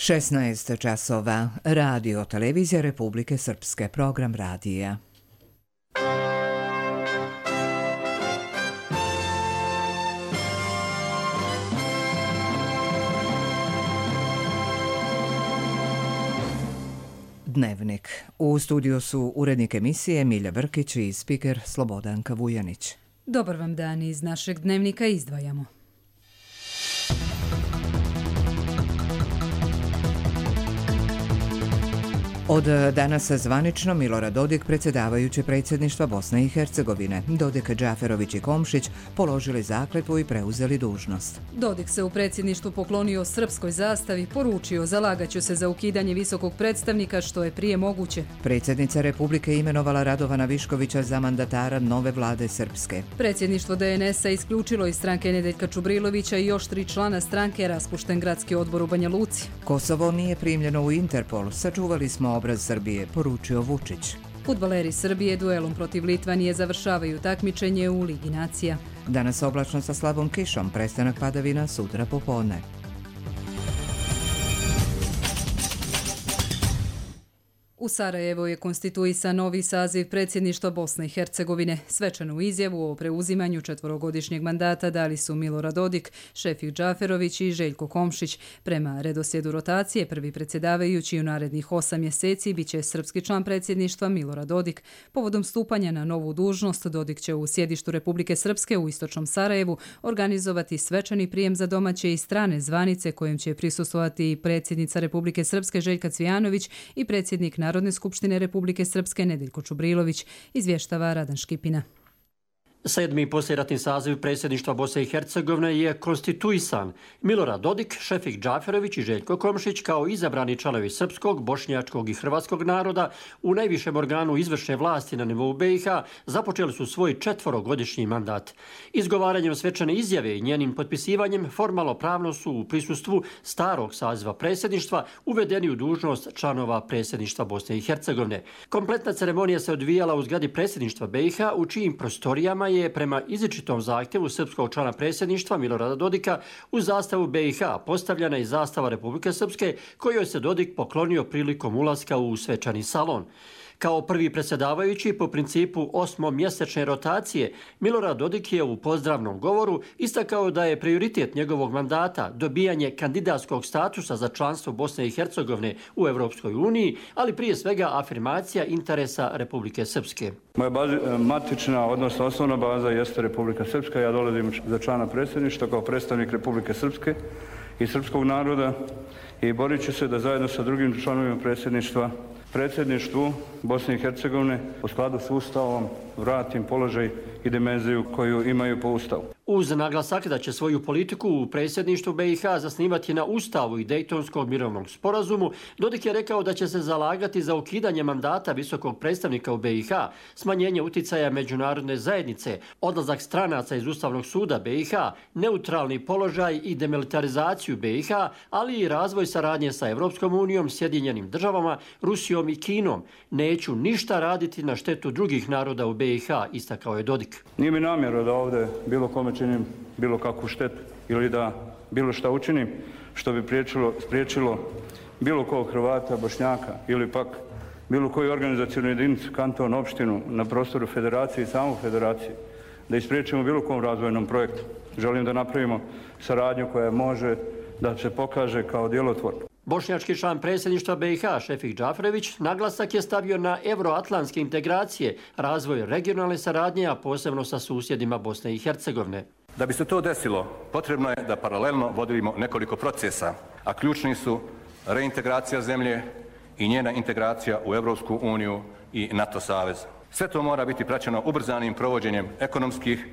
16 časova. Radio Televizija Republike Srpske. Program radija. Dnevnik. U studiju su urednik emisije Milja Brkić i spiker Slobodanka Vujanić. Dobar vam dan, iz našeg dnevnika izdvajamo. Od danas zvanično Milorad Dodik, predsjedavajući predsjedništva Bosne i Hercegovine. Dodik, Džaferović i Komšić položili zakletvu i preuzeli dužnost. Dodik se u predsjedništvu poklonio srpskoj zastavi, poručio zalagaću se za ukidanje visokog predstavnika što je prije moguće. Predsjednica Republike imenovala Radovana Viškovića za mandatara nove vlade Srpske. Predsjedništvo DNS-a isključilo iz stranke Nedeljka Čubrilovića i još 3 člana stranke, raspušten gradski odbor u Banja Luci. Kosovo nije primljeno u Interpol, sačuvali smo obraz Srbije, poručio Vučić. Fudbaleri Srbije duelom protiv Litvanije završavaju takmičenje u Ligi nacija. Danas oblačno sa slabom kišom, prestanak padavina sutra popodne. U Sarajevu je konstituisan novi saziv predsjedništva Bosne i Hercegovine. Svečanu izjavu o preuzimanju 4-godišnjeg mandata dali su Milorad Dodik, Šefik Džaferović i Željko Komšić. Prema redoslijedu rotacije, prvi predsjedavajući u narednih 8 mjeseci biće srpski član predsjedništva Milorad Dodik. Povodom stupanja na novu dužnost, Dodik će u sjedištu Republike Srpske u istočnom Sarajevu organizovati svečani prijem za domaće i strane zvanice kojem će prisustvovati predsjednica Republike Srpske Željka Cvijanović i predsjednik Narodne skupštine Republike Srpske Nedeljko Čubrilović, izvještava Radan Škipina. 7. poslijeratni saziv predsjedništva Bosne i Hercegovine je konstituisan. Milorad Dodik, Šefik Džaferović i Željko Komšić kao izabrani članovi srpskog, bošnjačkog i hrvatskog naroda u najvišem organu izvršne vlasti na nivou BiH započeli su svoj 4-godišnji mandat. Izgovaranjem svečane izjave i njenim potpisivanjem formalno pravno su u prisustvu starog saziva predsjedništva uvedeni u dužnost članova predsjedništva Bosne i Hercegovine. Kompletna ceremonija se odvijala u zgradi predsjedništva BiH u čijim prostorijama je prema izričitom zahtjevu srpskog člana predsjedništva Milorada Dodika u zastavu BiH postavljena i zastava Republike Srpske kojoj se Dodik poklonio prilikom ulaska u svečani salon. Kao prvi predsjedavajući po principu 8-mjesečne rotacije, Milorad Dodik je u pozdravnom govoru istakao da je prioritet njegovog mandata dobijanje kandidatskog statusa za članstvo Bosne i Hercegovine u Europskoj uniji, ali prije svega afirmacija interesa Republike Srpske. Moja matična, odnosno osnovna baza jeste Republika Srpska. Ja dolazim za člana predsjedništva kao predstavnik Republike Srpske i srpskog naroda i borit ću se da zajedno sa drugim članovima predsjedništvu Bosne i Hercegovine u skladu s Ustavom vratim položaj i dimenziju koju imaju po Ustavu. Uz naglasak da će svoju politiku u predsjedništvu BiH zasnivati na Ustavu i Dejtonskog mirovnog sporazumu, Dodik je rekao da će se zalagati za ukidanje mandata visokog predstavnika u BiH, smanjenje uticaja međunarodne zajednice, odlazak stranaca iz Ustavnog suda BiH, neutralni položaj i demilitarizaciju BiH, ali i razvoj saradnje sa Europskom unijom, Sjedinjenim državama, Rusijom i Kinom. Neću ništa raditi na štetu drugih naroda u BiH, istakao je Dodik. Nije mi namjera da ovdje bilo kome činim bilo kakvu štetu ili da bilo šta učinim što bi spriječilo bilo kog Hrvata, Bošnjaka ili pak bilo koju organizacijnu jedinicu, kanton, opštinu na prostoru federacije i samu federacije da ispriječimo bilo kom razvojnom projektu. Želim da napravimo saradnju koja može da se pokaže kao djelotvorna. Bošnjački član predsjedništva BiH Šefik Džaferović naglasak je stavio na euroatlantske integracije, razvoj regionalne saradnje, a posebno sa susjedima Bosne i Hercegovine. Da bi se to desilo, potrebno je da paralelno vodimo nekoliko procesa, a ključni su reintegracija zemlje i njena integracija u Europsku uniju i NATO savez. Sve to mora biti praćeno ubrzanim provođenjem ekonomskih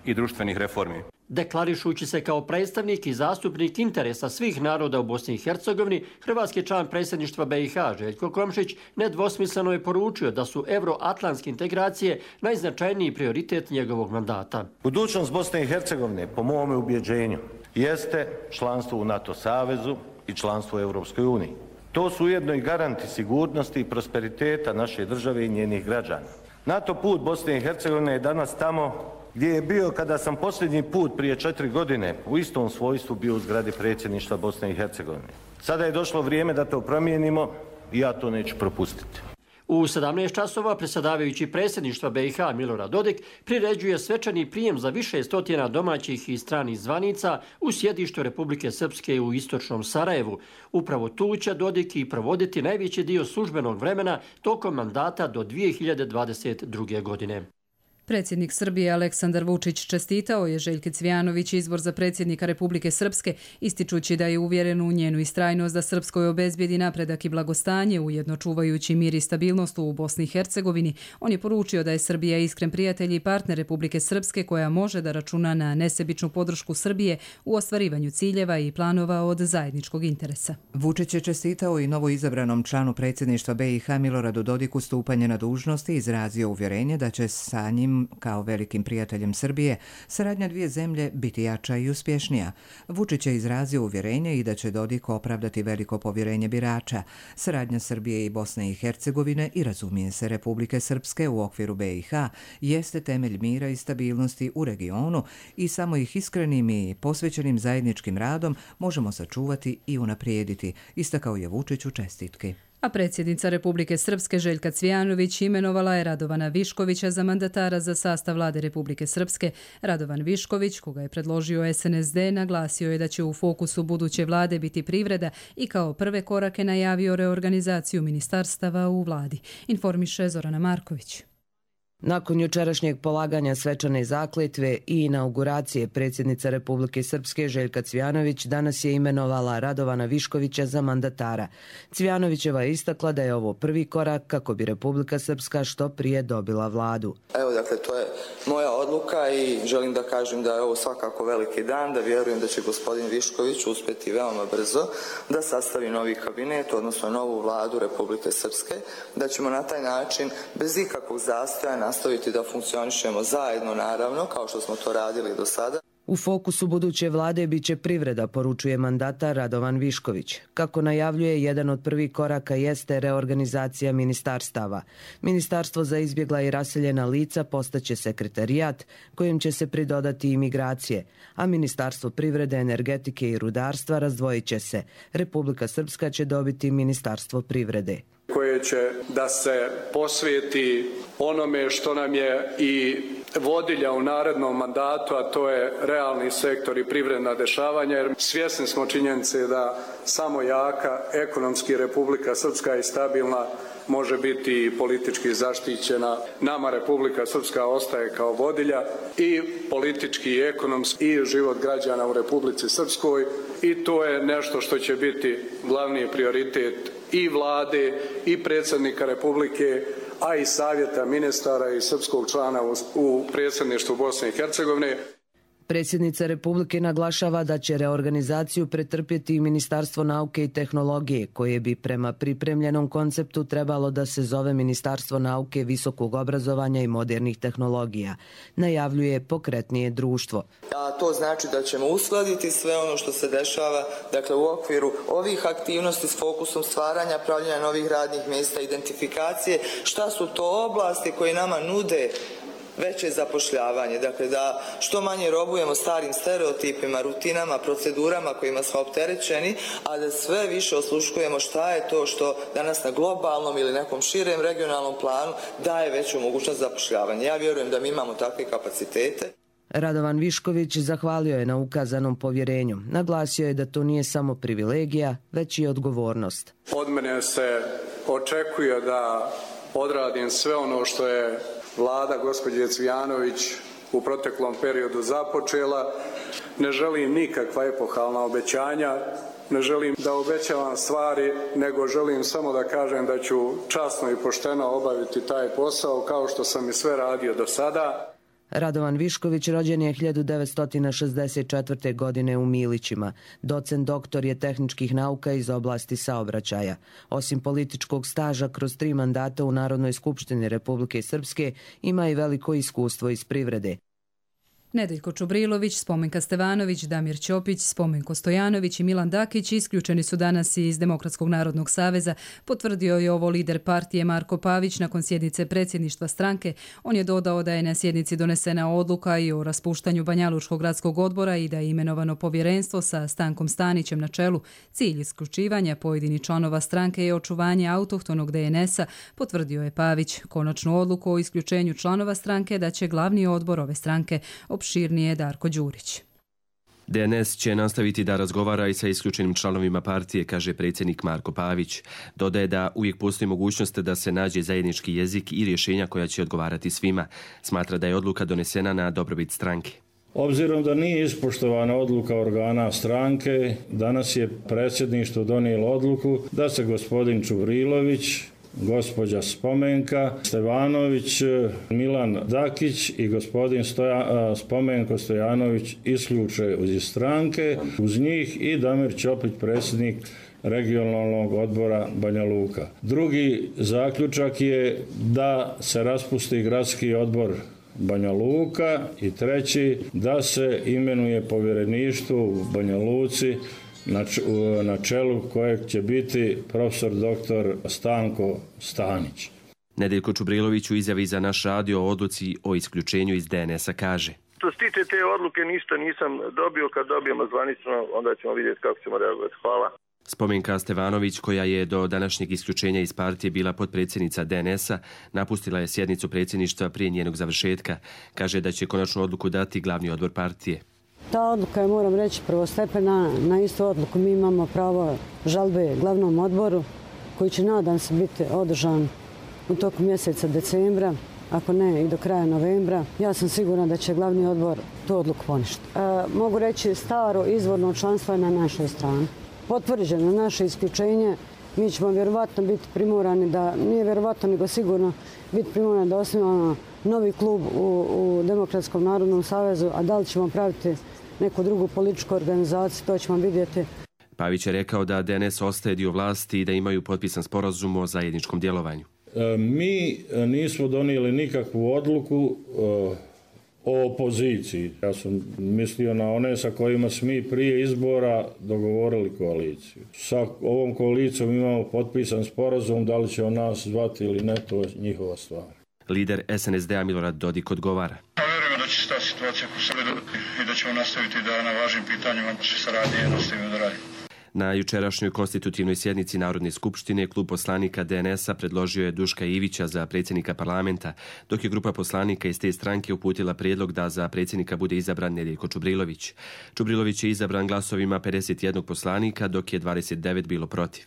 i društvenih reformi. Deklarišući se kao predstavnik i zastupnik interesa svih naroda u Bosni i Hercegovini, hrvatski član predsjedništva BiH Željko Komšić nedvosmisleno je poručio da su euroatlantske integracije najznačajniji prioritet njegovog mandata. Budućnost Bosne i Hercegovine, po mom ubjeđenju, jeste članstvo u NATO savezu i članstvo u Europskoj uniji. To su ujedno i garanti sigurnosti i prosperiteta naše države i njenih građana. NATO put Bosne i Hercegovine je danas tamo gdje je bio kada sam posljednji put prije 4 godine u istom svojstvu bio u zgradi predsjedništva Bosne i Hercegovine. Sada je došlo vrijeme da to promijenimo i ja to neću propustiti. U 17 časova predsjedavajući predsjedništva BiH Milorad Dodik priređuje svečani prijem za više stotina domaćih i stranih zvanica u sjedištu Republike Srpske u istočnom Sarajevu. Upravo tu će Dodik i provoditi najveći dio službenog vremena tokom mandata do 2022. godine. Predsjednik Srbije Aleksandar Vučić čestitao je Željki Cvijanović izbor za predsjednika Republike Srpske, ističući da je uvjeren u njenu istrajnost da Srpskoj obezbijedi napredak i blagostanje, ujedno čuvajući mir i stabilnost u Bosni i Hercegovini. On je poručio da je Srbija iskren prijatelj i partner Republike Srpske koja može da računa na nesebičnu podršku Srbije u ostvarivanju ciljeva i planova od zajedničkog interesa. Vučić je čestitao i novoizabranom članu predsjedništva BiH Miloradu Dodiku stupanje na dužnost i izrazio uvjerenje da će sa njim kao velikim prijateljem Srbije saradnja dvije zemlje biti jača i uspješnija. Vučić je izrazio uvjerenje i da će Dodik opravdati veliko povjerenje birača. Saradnja Srbije i Bosne i Hercegovine i razumije se Republike Srpske u okviru BiH jeste temelj mira i stabilnosti u regionu i samo ih iskrenim i posvećenim zajedničkim radom možemo sačuvati i unaprijediti, istakao je Vučić u čestitki. A predsjednica Republike Srpske Željka Cvijanović imenovala je Radovana Viškovića za mandatara za sastav vlade Republike Srpske. Radovan Višković, koga je predložio SNSD, naglasio je da će u fokusu buduće vlade biti privreda i kao prve korake najavio reorganizaciju ministarstava u vladi. Informiše Zorana Marković. Nakon jučerašnjeg polaganja svečane zakletve i inauguracije predsjednica Republike Srpske Željka Cvijanović danas je imenovala Radovana Viškovića za mandatara. Cvijanovićeva je istakla da je ovo prvi korak kako bi Republika Srpska što prije dobila vladu. Evo, dakle, to je moja odluka i želim da kažem da je ovo svakako veliki dan, da vjerujem da će gospodin Višković uspjeti veoma brzo da sastavi novi kabinet, odnosno novu vladu Republike Srpske, da ćemo na taj način bez ikakvog zastoja nastaviti da funkcionišemo zajedno, naravno, kao što smo to radili do sada. U fokusu buduće vlade biće privreda, poručuje mandatar Radovan Višković. Kako najavljuje, jedan od prvih koraka jeste reorganizacija ministarstava. Ministarstvo za izbjegla i raseljena lica postaće sekretarijat kojim će se pridodati imigracije, a Ministarstvo privrede, energetike i rudarstva razdvojit će se. Republika Srpska će dobiti Ministarstvo privrede, koje će da se posvijeti onome što nam je i vodilja u narednom mandatu, a to je realni sektor i privredna dešavanja, jer svjesni smo činjenice da samo jaka, ekonomski Republika Srpska i stabilna može biti politički zaštićena. Nama Republika Srpska ostaje kao vodilja i politički i ekonomski i život građana u Republici Srpskoj i to je nešto što će biti glavni prioritet i vlade i predsjednika Republike, a i savjeta ministara i srpskog člana u predsjedništvu Bosne i Hercegovine. Predsjednica Republike naglašava da će reorganizaciju pretrpjeti i Ministarstvo nauke i tehnologije, koje bi prema pripremljenom konceptu trebalo da se zove Ministarstvo nauke, visokog obrazovanja i modernih tehnologija. Najavljuje pokretnije društvo. A to znači da ćemo uskladiti sve ono što se dešava, dakle u okviru ovih aktivnosti s fokusom stvaranja, pravljenja novih radnih mjesta, identifikacije, šta su to oblasti koje nama nude veće zapošljavanje, dakle da što manje robujemo starim stereotipima, rutinama, procedurama kojima smo opterećeni, a da sve više osluškujemo šta je to što danas na globalnom ili nekom širem regionalnom planu daje veću mogućnost zapošljavanja. Ja vjerujem da mi imamo takve kapacitete. Radovan Višković zahvalio je na ukazanom povjerenju. Naglasio je da to nije samo privilegija, već i odgovornost. Od mene se očekuje da odradim sve ono što je vlada gospođe Cvijanović u proteklom periodu započela. Ne želim nikakva epohalna obećanja, ne želim da obećavam stvari, nego želim samo da kažem da ću časno i pošteno obaviti taj posao kao što sam i sve radio do sada. Radovan Višković rođen je 1964. godine u Milićima. Docent doktor je tehničkih nauka iz oblasti saobraćaja. Osim političkog staža kroz 3 mandata u Narodnoj skupštini Republike Srpske, ima i veliko iskustvo iz privrede. Nedeljko Čubrilović, Spomenka Stevanović, Damir Ćopić, Spomenko Stojanović i Milan Dakić isključeni su danas iz Demokratskog narodnog saveza, potvrdio je ovo lider partije Marko Pavić nakon sjednice predsjedništva stranke. On je dodao da je na sjednici donesena odluka i o raspuštanju Banjalučkog gradskog odbora i da je imenovano povjerenstvo sa Stankom Stanićem na čelu. Cilj isključivanja pojedinih članova stranke je očuvanje autohtonog DNS-a, potvrdio je Pavić. Konačnu odluku o isključenju članova stranke da će glavni odbor ove stranke. Opširnije Darko Đurić. DNS će nastaviti da razgovara i sa isključenim članovima partije, kaže predsjednik Marko Pavić. Dodaje da uvijek postoji mogućnost da se nađe zajednički jezik i rješenja koja će odgovarati svima. Smatra da je odluka donesena na dobrobit stranke. Obzirom da nije ispoštovana odluka organa stranke, danas je predsjedništvo donijelo odluku da se gospodin Čubrilović, gospođa Spomenka Stevanović, Milan Dakić i gospodin Spomenko Stojanović isključe iz stranke, uz njih i Damir Ćopić, predsjednik regionalnog odbora Banja Luka. Drugi zaključak je da se raspusti gradski odbor Banja Luka i treći da se imenuje povjereništvo u Banja Luci na čelu kojeg će biti profesor dr. Stanko Stanić. Nedeljko Čubrilović u izjavi za naš radio o odluci o isključenju iz DNS-a kaže: Što se tiče te odluke ništa nisam dobio, kad dobijemo zvanično onda ćemo vidjeti kako ćemo reagovati. Hvala. Spomenka Stevanović, koja je do današnjeg isključenja iz partije bila potpredsjednica DNS-a, napustila je sjednicu predsjedništva prije njenog završetka. Kaže da će konačnu odluku dati glavni odbor partije. Ta odluka je, moram reći, prvostepena. Na istu odluku mi imamo pravo žalbe glavnom odboru, koji će, nadam se, biti održan u toku mjeseca decembra, ako ne i do kraja novembra. Ja sam sigurna da će glavni odbor tu odluku poništiti. Mogu reći, staro izvorno članstvo je na našoj strani. Potvrđeno naše isključenje, mi ćemo vjerovatno biti primorani da, nije vjerovatno nego sigurno, biti primorani da osnivamo novi klub u Demokratskom narodnom savezu, a da li ćemo praviti neku drugu političku organizaciju, to ćemo vidjeti. Pavić je rekao da DNS ostaje dio vlasti i da imaju potpisan sporazum o zajedničkom djelovanju. Mi nismo donijeli nikakvu odluku o opoziciji. Ja sam mislio na one sa kojima smo mi prije izbora dogovorili koaliciju. Sa ovom koalicijom imamo potpisan sporazum, da li će on nas zvati ili ne, to je njihova stvar. Lider SNSD-a Milorad Dodik odgovara: Vjerujemo da će se ta situacija po sebi dobiti i da ćemo nastaviti da na važnim pitanjima naše saradnje nastavimo da radimo. Na jučerašnjoj konstitutivnoj sjednici Narodne skupštine klub poslanika DNS-a predložio je Duška Ivića za predsjednika parlamenta, dok je grupa poslanika iz te stranke uputila prijedlog da za predsjednika bude izabran Nedeljko Čubrilović. Čubrilović je izabran glasovima 51 poslanika, dok je 29 bilo protiv.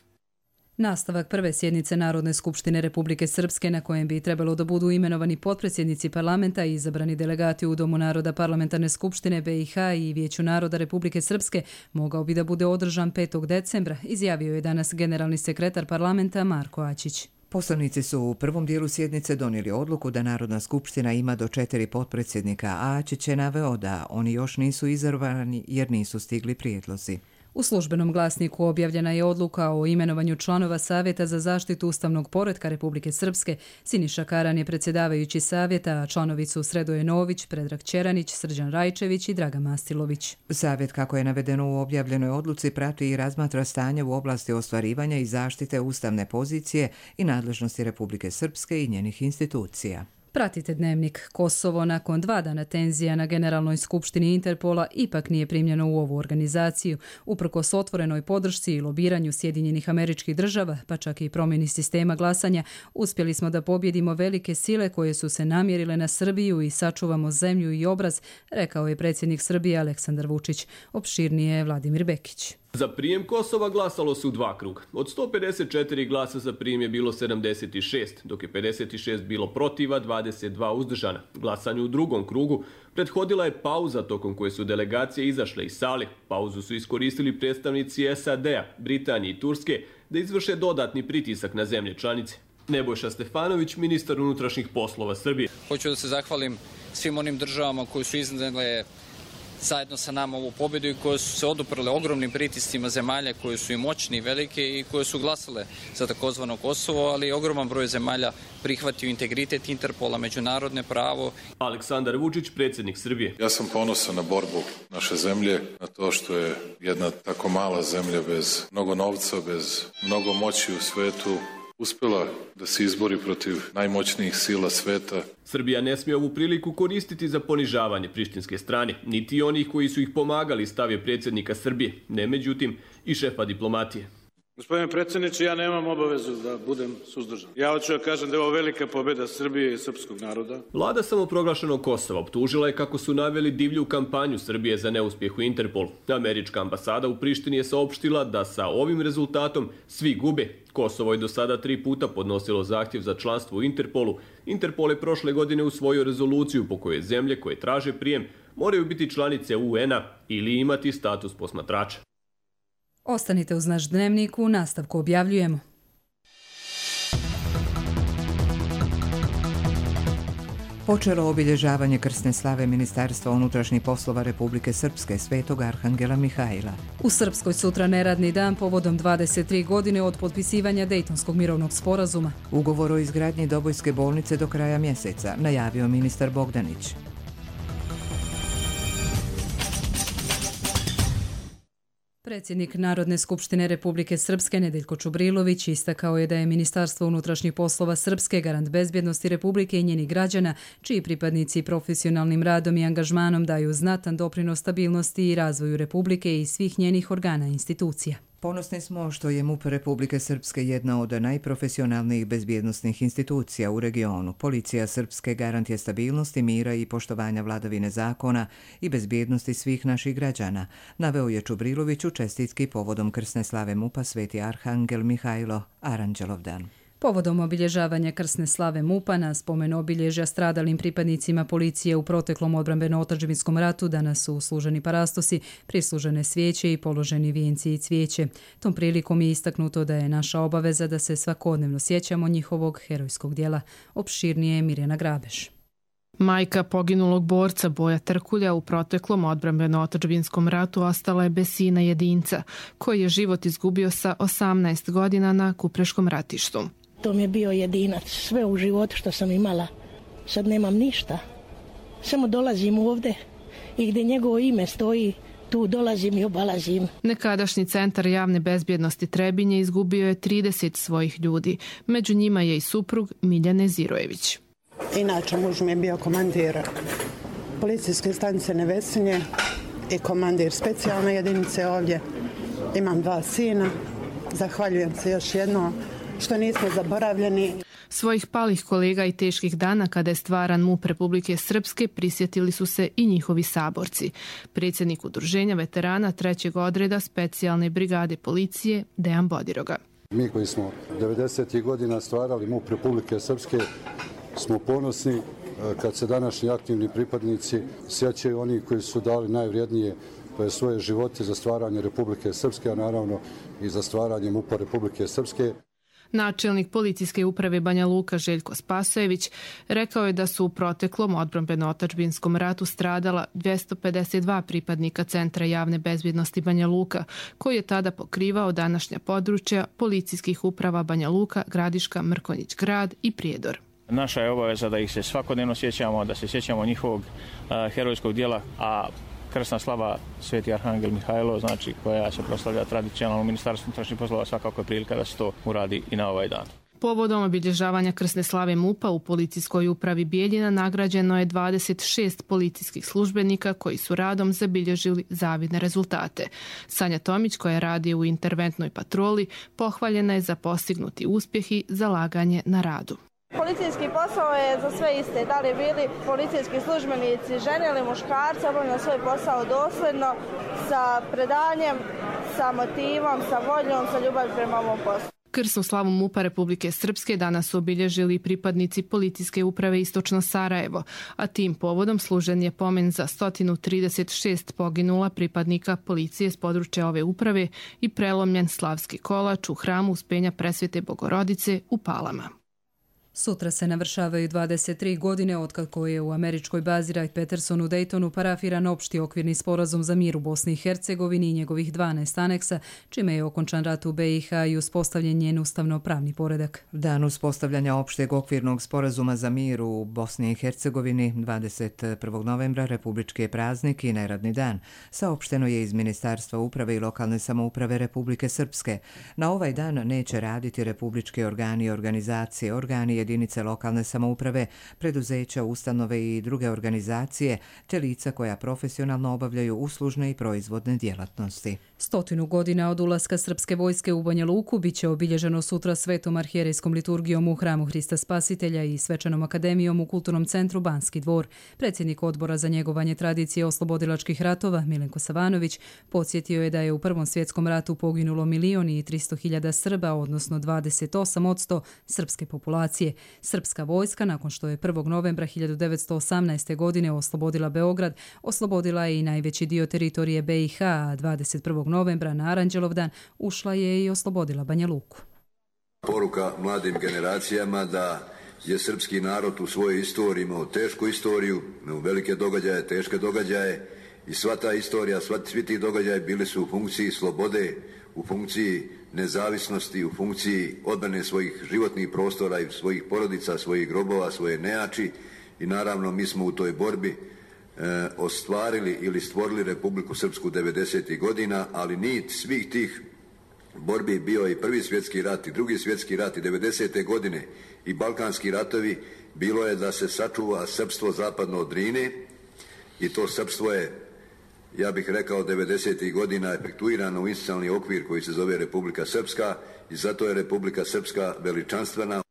Nastavak prve sjednice Narodne skupštine Republike Srpske, na kojem bi trebalo da budu imenovani potpredsjednici parlamenta i izabrani delegati u Domu naroda Parlamentarne skupštine BiH i Vijeću naroda Republike Srpske, mogao bi da bude održan 5. decembra, izjavio je danas generalni sekretar parlamenta Marko Ačić. Poslanici su u prvom dijelu sjednice donijeli odluku da Narodna skupština ima do 4 potpredsjednika, a Ačić je naveo da oni još nisu izabrani jer nisu stigli prijedlozi. U službenom glasniku objavljena je odluka o imenovanju članova Savjeta za zaštitu ustavnog poretka Republike Srpske. Siniša Karan je predsjedavajući savjeta, a članovi su Sredoje Nović, Predrag Ćeranić, Srđan Rajčević i Draga Mastilović. Savjet, kako je navedeno u objavljenoj odluci, prati i razmatra stanje u oblasti ostvarivanja i zaštite ustavne pozicije i nadležnosti Republike Srpske i njenih institucija. Pratite Dnevnik. Kosovo nakon 2 dana tenzija na Generalnoj skupštini Interpola ipak nije primljeno u ovu organizaciju. Uprkos otvorenoj podršci i lobiranju Sjedinjenih Američkih Država, pa čak i promjeni sistema glasanja, uspjeli smo da pobjedimo velike sile koje su se namjerile na Srbiju i sačuvamo zemlju i obraz, rekao je predsjednik Srbije Aleksandar Vučić. Opširnije je Vladimir Bekić. Za prijem Kosova glasalo se u 2 kruga. Od 154 glasa za prijem je bilo 76, dok je 56 bilo protiva, 22 uzdržana. Glasanju u drugom krugu prethodila je pauza tokom koje su delegacije izašle iz sale. Pauzu su iskoristili predstavnici SAD-a, Britanije i Turske da izvrše dodatni pritisak na zemlje članice. Nebojša Stefanović, ministar unutrašnjih poslova Srbije. Hoću da se zahvalim svim onim državama koji su iznijele zajedno sa nama ovu pobjedu i koje su se oduprle ogromnim pritiscima zemalja koje su i moćni i velike i koje su glasale za takozvano Kosovo, ali ogroman broj zemalja prihvatio integritet Interpola, međunarodne pravo. Aleksandar Vučić, predsjednik Srbije. Ja sam ponosan na borbu naše zemlje, na to što je jedna tako mala zemlja bez mnogo novca, bez mnogo moći u svetu uspjela da se izbori protiv najmoćnijih sila sveta. Srbija ne smije ovu priliku koristiti za ponižavanje prištinske strane, niti onih koji su ih pomagali, stavio predsjednika Srbije, ne međutim i šefa diplomatije. Gospodine predsjedniče, ja nemam obavezu da budem suzdržan. Ja hoću da kažem da je ovo velika pobjeda Srbije i srpskog naroda. Vlada samoproglašenog Kosova optužila je kako su naveli divlju kampanju Srbije za neuspjeh u Interpolu. Američka ambasada u Prištini je saopštila da sa ovim rezultatom svi gube. Kosovo je do sada 3 puta podnosilo zahtjev za članstvo u Interpolu. Interpol je prošle godine usvojio rezoluciju po kojoj zemlje koje traže prijem moraju biti članice UN-a ili imati status posmatrača. Ostanite uz naš dnevnik, u nastavku objavljujemo. Počelo obilježavanje krsne slave Ministarstva unutrašnjih poslova Republike Srpske Svetog Arhangela Mihajla. U Srpskoj sutra neradni dan povodom 23 godine od potpisivanja Dejtonskog mirovnog sporazuma. Ugovor o izgradnji Dobojske bolnice do kraja mjeseca, najavio ministar Bogdanić. Predsjednik Narodne skupštine Republike Srpske Nedeljko Čubrilović istakao je da je Ministarstvo unutrašnjih poslova Srpske garant bezbjednosti Republike i njenih građana, čiji pripadnici profesionalnim radom i angažmanom daju znatan doprinos stabilnosti i razvoju Republike i svih njenih organa i institucija. Ponosni smo što je MUP Republike Srpske jedna od najprofesionalnijih bezbjednosnih institucija u regionu. Policija Srpske garant je stabilnosti, mira i poštovanja vladavine zakona i bezbjednosti svih naših građana, naveo je Čubrilović u čestitki povodom krsne slave MUP-a Sveti Arhangel Mihajlo Aranđelovdan. Povodom obilježavanja krsne slave MUP-a na spomen obilježja stradalim pripadnicima policije u proteklom odbrambeno-otadžbinskom ratu danas su služeni parastosi, prislužene svijeće i položeni vijenci i cvijeće. Tom prilikom je istaknuto da je naša obaveza da se svakodnevno sjećamo njihovog herojskog djela. Opširnije je Mirjana Grabeš. Majka poginulog borca Boja Trkulja u proteklom odbrambeno-otadžbinskom ratu ostala je bez sina jedinca, koji je život izgubio sa 18 godina na Kupreškom ratištu. To mi je bio jedinac, sve u životu što sam imala. Sad nemam ništa. Samo dolazim ovdje i gdje njegovo ime stoji, tu dolazim i obalazim. Nekadašnji centar javne bezbjednosti Trebinje izgubio je 30 svojih ljudi. Među njima je i suprug Miljane Zirojević. Inače, muž mi je bio komandir policijske stanice Nevesinje i komandir specijalne jedinice ovdje. Imam 2 sina. Zahvaljujem se još jednom što nismo zaboravljeni. Svojih palih kolega i teških dana kada je stvaran MUP Republike Srpske prisjetili su se i njihovi saborci. Predsjednik udruženja veterana 3. odreda specijalne brigade policije Dejan Bodiroga. Mi koji smo 90. godina stvarali MUP Republike Srpske smo ponosni kad se današnji aktivni pripadnici sjećaju oni koji su dali najvrijednije svoje živote za stvaranje Republike Srpske, a naravno i za stvaranje MUP-a Republike Srpske. Načelnik policijske uprave Banja Luka Željko Spasojević rekao je da su u proteklom odbrambeno-otadžbinskom ratu stradala 252 pripadnika Centra javne bezbjednosti Banja Luka, koji je tada pokrivao današnja područja policijskih uprava Banja Luka, Gradiška, Mrkonjić grad i Prijedor. Naša je obaveza da ih se svakodnevno sjećamo, da se sjećamo njihovog herojskog djela, a krsna slava Sveti Arhangel Mihajlo, znači koja se proslavlja tradicionalno u Ministarstvu unutrašnjih poslova, svakako je prilika da se to uradi i na ovaj dan. Povodom obilježavanja krsne slave MUP-a u policijskoj upravi Bijeljina nagrađeno je 26 policijskih službenika koji su radom zabilježili zavidne rezultate. Sanja Tomić, koja radi u interventnoj patroli, pohvaljena je za postignuti uspjeh i zalaganje na radu. Policijski posao je za sve iste, da li bili policijski službenici žene ili muškarci, obavljaju svoj posao dosljedno, sa predanjem, sa motivom, sa voljom, sa ljubavi prema ovom poslu. Krsnu slavu MUP-a Republike Srpske danas su obilježili pripadnici policijske uprave Istočno Sarajevo, a tim povodom služen je pomen za 136 poginula pripadnika policije s područja ove uprave i prelomljen slavski kolač u hramu Uspenja Presvete Bogorodice u Palama. Sutra se navršavaju 23 godine otkako je u američkoj bazi Wright-Patterson u Daytonu parafiran opšti okvirni sporazum za mir u Bosni i Hercegovini i njegovih 12 aneksa, čime je okončan rat u BiH i uspostavljen njen ustavno-pravni poredak. Dan uspostavljanja opšteg okvirnog sporazuma za mir u Bosni i Hercegovini 21. novembra republički je praznik i neradni dan. Saopšteno je iz Ministarstva uprave i lokalne samouprave Republike Srpske. Na ovaj dan neće raditi republički organi i organizacije, organi jedinice lokalne samouprave, preduzeća, ustanove i druge organizacije, te lica koja profesionalno obavljaju uslužne i proizvodne djelatnosti. 100 godina od ulaska srpske vojske u Banja Luku biće obilježeno sutra svetom arhijerejskom liturgijom u Hramu Hrista Spasitelja i svečanom akademijom u Kulturnom centru Banski dvor. Predsjednik odbora za njegovanje tradicije oslobodilačkih ratova, Milenko Savanović, podsjetio je da je u Prvom svjetskom ratu poginulo 1.300.000 Srba, odnosno 28% srpske populacije. Srpska vojska, nakon što je 1. novembra 1918. godine oslobodila Beograd, oslobodila je i najveći dio teritorije BiH, a 21. novembra na Aranđelovdan ušla je i oslobodila Banja Luku. Poruka mladim generacijama da je srpski narod u svojoj istoriji imao tešku istoriju, imao velike događaje, teške događaje i sva ta istorija, svi ti događaji bili su u funkciji slobode, u funkciji nezavisnosti, u funkciji odbrane svojih životnih prostora i svojih porodica, svojih grobova, svoje nejači i naravno mi smo u toj borbi ostvarili ili stvorili Republiku Srpsku 90. godina, ali nit svih tih borbi bio i Prvi svjetski rat i Drugi svjetski rat i 90. godine i Balkanski ratovi, bilo je da se sačuva srpstvo zapadno od Drine i to srpstvo je, ja bih rekao, 90. godina efektuirano u institucionalni okvir koji se zove Republika Srpska i zato je Republika Srpska veličanstvena.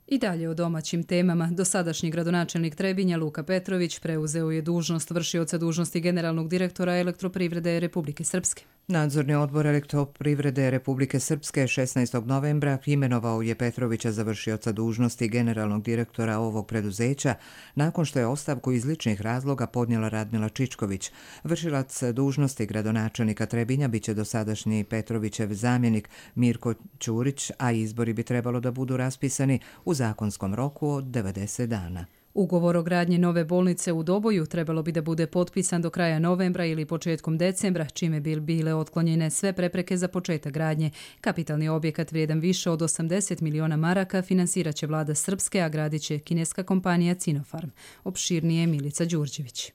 I dalje o domaćim temama. Dosadašnji gradonačelnik Trebinja Luka Petrović preuzeo je dužnost vršioca dužnosti generalnog direktora Elektroprivrede Republike Srpske. Nadzorni odbor Elektroprivrede Republike Srpske 16. novembra imenovao je Petrovića za vršioca dužnosti generalnog direktora ovog preduzeća nakon što je ostavku iz ličnih razloga podnijela Radmila Čičković. Vršilac dužnosti gradonačelnika Trebinja biće dosadašnji Petrovićev zamjenik Mirko Ćurić, a izbori bi trebalo da budu raspisani u zakonskom roku od 90 dana. Ugovor o gradnji nove bolnice u Doboju trebalo bi da bude potpisan do kraja novembra ili početkom decembra, čime bi bile otklonjene sve prepreke za početak gradnje. Kapitalni objekat vrijedan više od 80 miliona maraka finansirat će vlada Srpske, a gradit će kineska kompanija Sinopharm. Opširnije Milica Đurđević.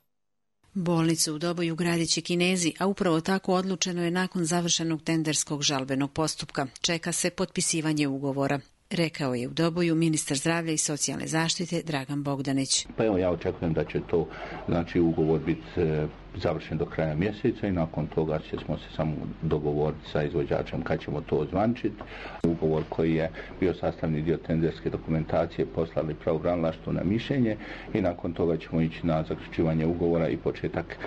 Bolnicu u Doboju gradit će Kinezi, a upravo tako odlučeno je nakon završenog tenderskog žalbenog postupka. Čeka se potpisivanje ugovora, rekao je u Doboju ministar zdravlja i socijalne zaštite Dragan Bogdanić. Pa evo, ja očekujem da će to, ugovor biti završen do kraja mjeseca i nakon toga ćemo se samo dogovoriti sa izvođačem kad ćemo to ozvančiti. Ugovor koji je bio sastavni dio tenderske dokumentacije poslali pravobranilaštvu na mišljenje i nakon toga ćemo ići na zaključivanje ugovora i početak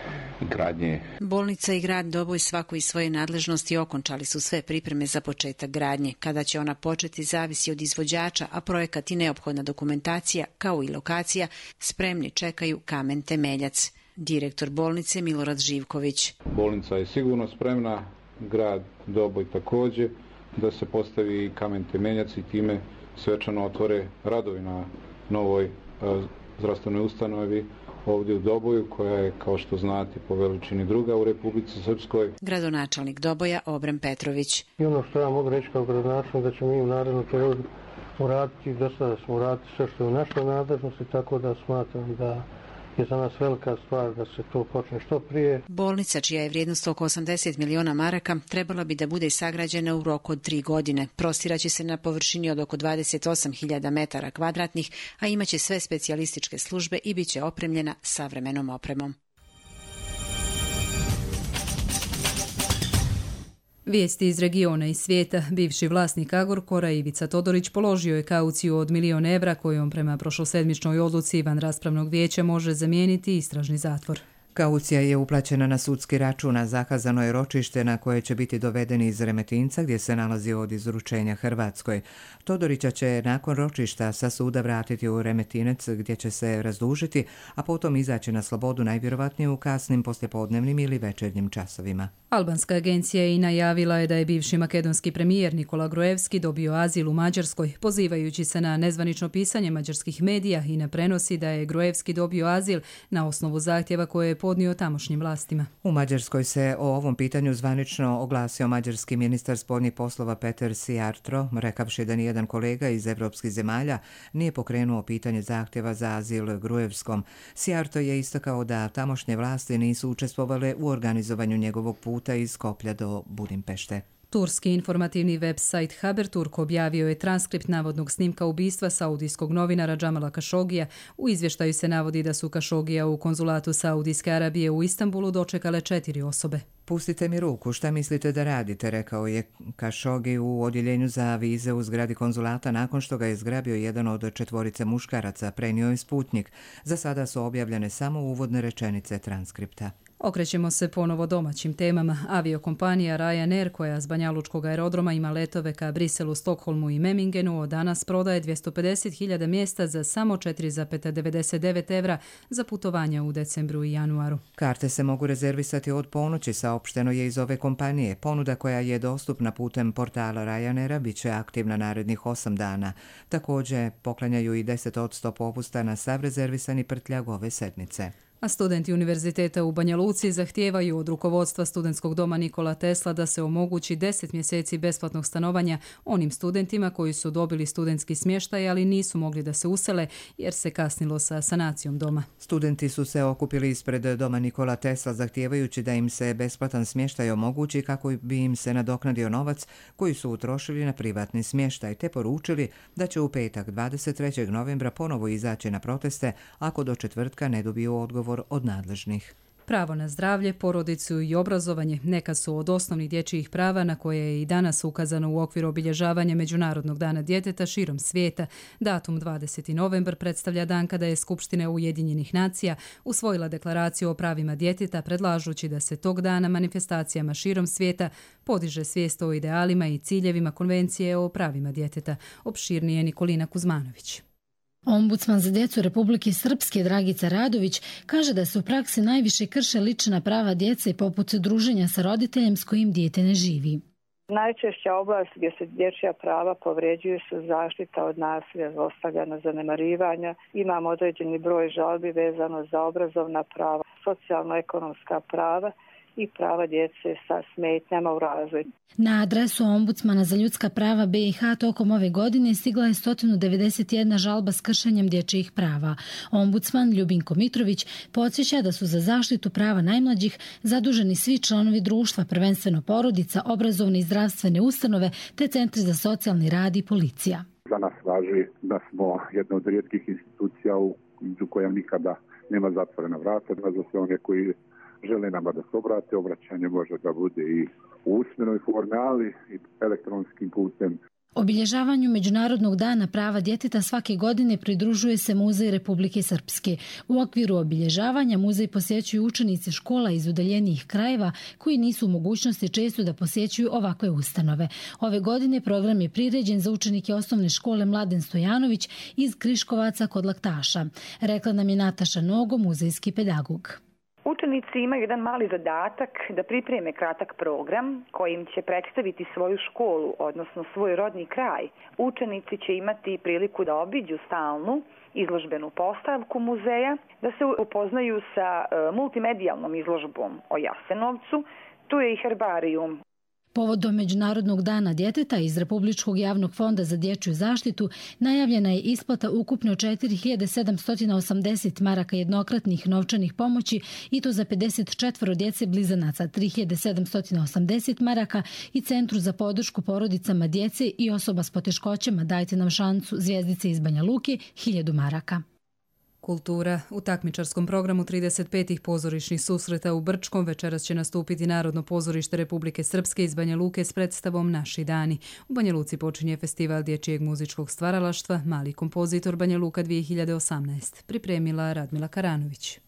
gradnje. Bolnica i grad Doboj svako iz svoje nadležnosti okončali su sve pripreme za početak gradnje. Kada će ona početi zavisi od izvođača, a projekat i neophodna dokumentacija kao i lokacija spremni čekaju kamen temeljac. Direktor bolnice Milorad Živković. Bolnica je sigurno spremna, grad Doboj također, da se postavi kamen temeljac i time svečano otvore radovi na novoj zdravstvenoj ustanovi ovdje u Doboju, koja je, kao što znate, po veličini druga u Republici Srpskoj. Gradonačelnik Doboja Obren Petrović. I ono što ja mogu reći kao gradonačelnik, da ćemo mi u narednom periodu uraditi, do sada smo uraditi sve što je u našoj nadležnosti, tako da smatram da je za nas velika stvar da se to počne što prije. Bolnica, čija je vrijednost oko 80 miliona maraka, trebala bi da bude sagrađena u roku od 3 godine. Prostiraće se na površini od oko 28.000 metara kvadratnih, a imaće sve specijalističke službe i bit će opremljena savremenom opremom. Vijesti iz regiona i svijeta. Bivši vlasnik Agrokora Ivica Todorić položio je kauciju od 1 milion evra kojom prema prošlosedmičnoj odluci van raspravnog vijeća može zamijeniti istražni zatvor. Kaucija je uplaćena na sudski račun, a zakazano je ročište na koje će biti dovedeni iz Remetinca gdje se nalazi od izručenja Hrvatskoj. Todorića će nakon ročišta sa suda vratiti u Remetinec gdje će se razdužiti, a potom izaći na slobodu najvjerovatnije u kasnim poslijepodnevnim ili večernjim časovima. Albanska agencija i najavila je da je bivši makedonski premijer Nikola Gruevski dobio azil u Mađarskoj, pozivajući se na nezvanično pisanje mađarskih medija i na prenosi da je Gruevski dobio azil na osnovu zahtjeva koje je podnio tamošnjim vlastima. U Mađarskoj se o ovom pitanju zvanično oglasio mađarski ministar spoljnih poslova Peter Sijarto, rekavši da nijedan kolega iz evropskih zemalja nije pokrenuo pitanje zahtjeva za azil Gruevskom. Sijarto je istakao da tamošnje vlasti nisu učestvovale u organizovanju njegovog puta iz Skoplja do Budimpešte. Turski informativni web-sajt Haberturk objavio je transkript navodnog snimka ubistva saudijskog novinara Džamala Kašogija. U izvještaju se navodi da su Kašogija u konzulatu Saudijske Arabije u Istanbulu dočekale 4 osobe. Pustite mi ruku, šta mislite da radite, rekao je Kašogi u odjeljenju za vize u zgradi konzulata nakon što ga je zgrabio jedan od 4 muškaraca, prenio je Sputnik. Za sada su objavljene samo uvodne rečenice transkripta. Okrećemo se ponovo domaćim temama. Aviokompanija Ryanair, koja s Banjalučkog aerodroma ima letove ka Briselu, Stokholmu i Memingenu, od danas prodaje 250.000 mjesta za samo 4,99 € za putovanja u decembru i januaru. Karte se mogu rezervisati od ponoći, saopšteno je iz ove kompanije. Ponuda koja je dostupna putem portala Ryanaira bit će aktivna narednih 8 dana. Također poklanjaju i 10% popusta na sav rezervisani prtljag ove sedmice. A studenti Univerziteta u Banja Luci zahtijevaju od rukovodstva studentskog doma Nikola Tesla da se omogući 10 mjeseci besplatnog stanovanja onim studentima koji su dobili studentski smještaj, ali nisu mogli da se usele jer se kasnilo sa sanacijom doma. Studenti su se okupili ispred doma Nikola Tesla zahtijevajući da im se besplatan smještaj omogući kako bi im se nadoknadio novac koji su utrošili na privatni smještaj, te poručili da će u petak 23. novembra ponovo izaći na proteste ako do četvrtka ne dobiju odgovor od nadležnih. Pravo na zdravlje, porodicu i obrazovanje neka su od osnovnih dječjih prava na koje je i danas ukazano u okviru obilježavanja Međunarodnog dana djeteta širom svijeta. Datum 20. novembar predstavlja dan kada je Skupština Ujedinjenih nacija usvojila deklaraciju o pravima djeteta, predlažući da se tog dana manifestacijama širom svijeta podiže svijest o idealima i ciljevima Konvencije o pravima djeteta. Opširnije Nikolina Kuzmanović. Ombudsman za djecu Republike Srpske Dragica Radović kaže da se u praksi najviše krše lična prava djece poput druženja sa roditeljem s kojim dijete ne živi. Najčešća oblast gdje se dječja prava povređuju su zaštita od nasilja, zlostavljanja, zanemarivanja. Imamo određeni broj žalbi vezano za obrazovna prava, socijalno-ekonomska prava i prava djece sa smetnjama u razvoju. Na adresu Ombudsmana za ljudska prava BiH tokom ove godine stigla je 191 žalba s kršenjem dječjih prava. Ombudsman Ljubinko Mitrović podsjeća da su za zaštitu prava najmlađih zaduženi svi članovi društva, prvenstveno porodica, obrazovne i zdravstvene ustanove te centri za socijalni rad i policija. Za nas važi da smo jedna od rijetkih institucija u kojem nikada nema zatvorena vrata, za sve one koji žele nama da se obrate, obraćanje može da bude i u usmenoj formi, ali i elektronskim putem. Obilježavanju Međunarodnog dana prava djeteta svake godine pridružuje se Muzej Republike Srpske. U okviru obilježavanja muzej posjećuju učenici škola iz udaljenijih krajeva koji nisu u mogućnosti često da posjećuju ovakve ustanove. Ove godine program je priređen za učenike osnovne škole Mladen Stojanović iz Kriškovaca kod Laktaša. Rekla nam je Nataša Nogo, muzejski pedagog. Učenici imaju jedan mali zadatak da pripreme kratak program kojim će predstaviti svoju školu, odnosno svoj rodni kraj. Učenici će imati priliku da obiđu stalnu izložbenu postavku muzeja, da se upoznaju sa multimedijalnom izložbom o Jasenovcu. Tu je i herbarijum. Povodom Međunarodnog dana djeteta iz Republičkog javnog fonda za dječju zaštitu najavljena je isplata ukupno 4.780 maraka jednokratnih novčanih pomoći i to za 54 djece blizanaca, 3.780 maraka i Centru za podršku porodicama djece i osoba s poteškoćama Dajte nam šansu zvjezdice iz Banja Luke 1.000 maraka. Kultura. U takmičarskom programu 35. pozorišnih susreta u Brčkom večeras će nastupiti Narodno pozorište Republike Srpske iz Banja Luke s predstavom Naši dani. U Banja Luci počinje festival dječjeg muzičkog stvaralaštva Mali kompozitor Banja Luka 2018. Pripremila Radmila Karanović.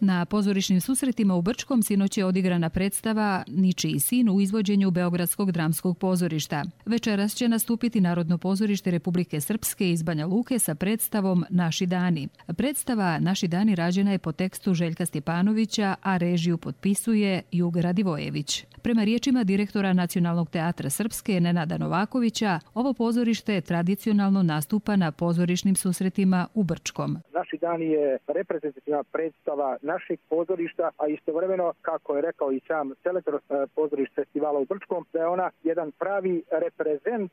Na pozorišnim susretima u Brčkom sinoć je odigrana predstava Ničiji sin u izvođenju Beogradskog dramskog pozorišta. Večeras će nastupiti Narodno pozorište Republike Srpske iz Banja Luke sa predstavom Naši dani. Predstava Naši dani rađena je po tekstu Željka Stjepanovića, a režiju potpisuje Jug Radivojević. Prema riječima direktora Nacionalnog teatra Srpske Nenada Novakovića, ovo pozorište tradicionalno nastupa na pozorišnim susretima u Brčkom. Naši dani je reprezentativna predstava našeg pozorišta, a istovremeno, kako je rekao i sam selektor pozorišta festivala u Brčkom, da je ona jedan pravi reprezent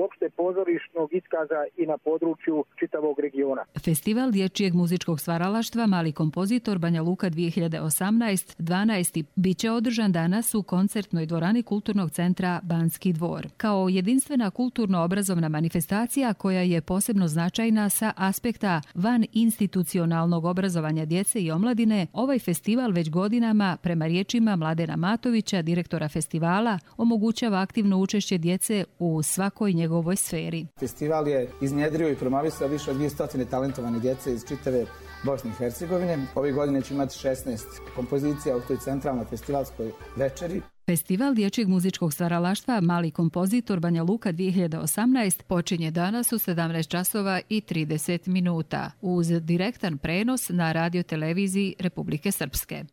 uopšte pozorišnog iskaza i na području čitavog regiona. Festival dječjeg muzičkog stvaralaštva Mali kompozitor Banja Luka 2018 12. biće održan danas u koncertnoj dvorani Kulturnog centra Banski dvor. Kao jedinstvena kulturno-obrazovna manifestacija koja je posebno značajna sa aspekta van institucionalnog obrazovanja djece i omladine, ovaj festival već godinama, prema riječima Mladena Matovića, direktora festivala, omogućava aktivno učešće djece u svakoj njegovoj sferi. Festival je iznjedrio i promovisao više od 200 talentovane djece iz čitave Bosne i Hercegovine. Ove godine će imati 16 kompozicija u toj centralnoj festivalskoj večeri. Festival dječjeg muzičkog stvaralaštva Mali kompozitor Banja Luka 2018 počinje danas u 17 časova i 30 minuta uz direktan prenos na radioteleviziji Republike Srpske.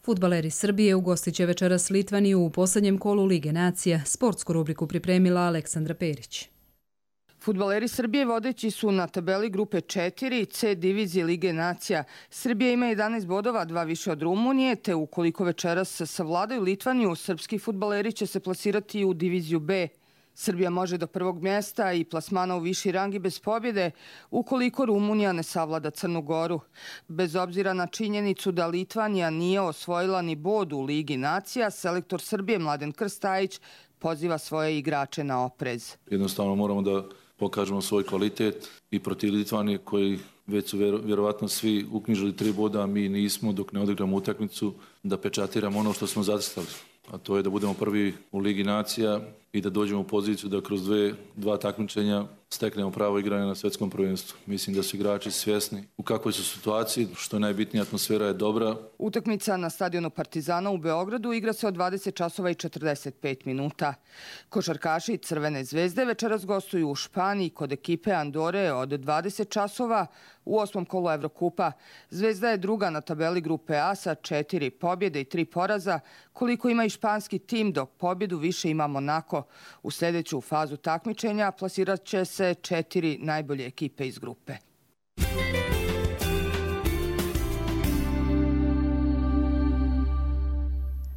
Fudbaleri Srbije ugostit će večeras Litvaniju u posljednjem kolu Lige nacija. Sportsku rubriku pripremila Aleksandra Perić. Fudbaleri Srbije vodeći su na tabeli grupe 4 C divizije Lige nacija. Srbija ima 11 bodova, 2 više od Rumunije, te ukoliko večeras savladaju Litvaniju, srpski fudbaleri će se plasirati u diviziju B. Srbija može do prvog mjesta i plasmana u viši rang i bez pobjede ukoliko Rumunija ne savlada Crnu Goru. Bez obzira na činjenicu da Litvanija nije osvojila ni bod u Ligi nacija, selektor Srbije Mladen Krstajić poziva svoje igrače na oprez. Jednostavno moramo da pokažemo svoj kvalitet i protiv Litvanije koji već su vjerovatno svi uknjižili 3 boda, a mi nismo dok ne odigramo utakmicu da pečatiramo ono što smo zacrtali. A to je da budemo prvi u Ligi nacija i da dođemo u poziciju da kroz dva takmičenja steknemo pravo igranje na svjetskom prvenstvu. Mislim da su igrači svjesni u kakvoj su situaciji, što je najbitnija, atmosfera je dobra. Utakmica na stadionu Partizana u Beogradu igra se od 20 časova i 45 minuta. Košarkaši Crvene zvezde večeras gostuju u Španiji kod ekipe Andore od 20 časova u 8. kolu Evrokupa. Zvezda je druga na tabeli grupe A sa 4 pobjede i 3 poraza, koliko ima i španski tim, dok pobjedu više ima Monako. U sljedeću fazu takmičenja plasirat će se 4 najbolje ekipe iz grupe.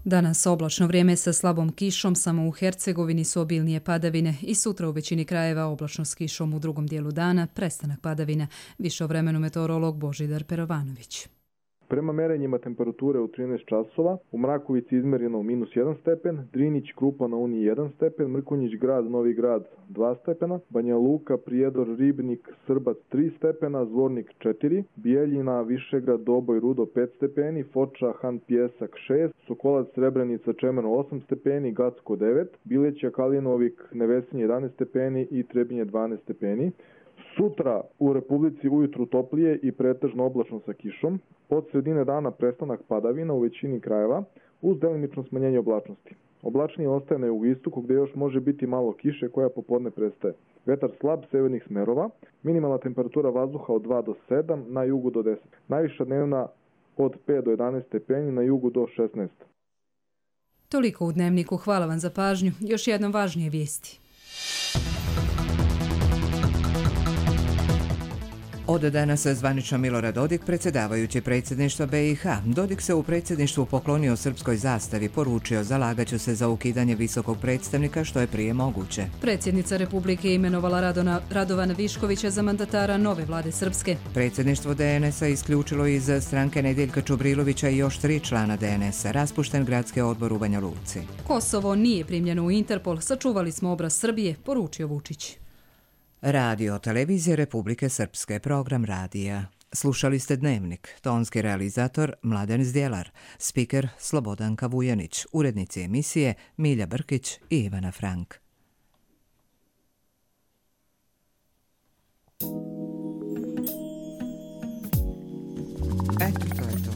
Danas oblačno vrijeme sa slabom kišom, samo u Hercegovini su obilnije padavine i sutra u većini krajeva oblačno s kišom u drugom dijelu dana, prestanak padavina. Više o vremenu meteorolog Božidar Perovanović. Prema merenjima temperature u 13 časova, u Mrakovici izmereno -1 stepen, Drinić, Krupa na Uni 1 stepen, Mrkonjić grad, Novi grad 2 stepena, Banja Luka, Prijedor, Ribnik, Srbac 3 stepena, Zvornik 4, Bijeljina, Višegrad, Doboj, Rudo 5 stepeni, Foča, Han Pjesak 6, Sokolac, Srebrenica, Čemer 8 stepeni, Gacko 9, Bileća, Kalinovik, Nevesinje 11 stepeni i Trebinje 12 stepeni. Sutra u Republici ujutru toplije i pretežno oblačno sa kišom. Od sredine dana prestanak padavina u većini krajeva uz delimično smanjenje oblačnosti. Oblačnije ostaje na jugoistoku gdje još može biti malo kiše koja popodne prestaje. Vetar slab severnih smerova, minimalna temperatura vazduha od 2 do 7, na jugu do 10. Najviša dnevna od 5 do 11 stepeni, na jugu do 16. Toliko u Dnevniku, hvala vam za pažnju. Još jednom važnije vijesti. Od danas zvanično Milorad Dodik, predsjedavajući predsjedništva BiH. Dodik se u predsjedništvu poklonio srpskoj zastavi, poručio zalagaću se za ukidanje visokog predstavnika što je prije moguće. Predsjednica Republike je imenovala Radovana Viškovića za mandatara nove vlade Srpske. Predsjedništvo DNS-a isključilo iz stranke Nedjeljka Čubrilovića i još 3 člana DNS-a, raspušten gradski odbor u Banja Luci. Kosovo nije primljeno u Interpol, sačuvali smo obraz Srbije, poručio Vučić. Radio televizije Republike Srpske, program radija. Slušali ste Dnevnik, tonski realizator Mladen Zdjelar, spiker Slobodanka Vujanić, urednici emisije Milja Brkić i Ivana Frank. Eto, to je to.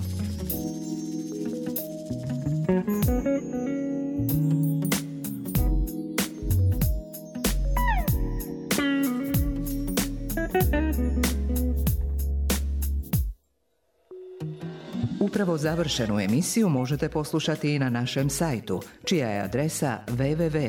Upravo završenu emisiju možete poslušati i na našem sajtu, čija je adresa www.rtrs.tv.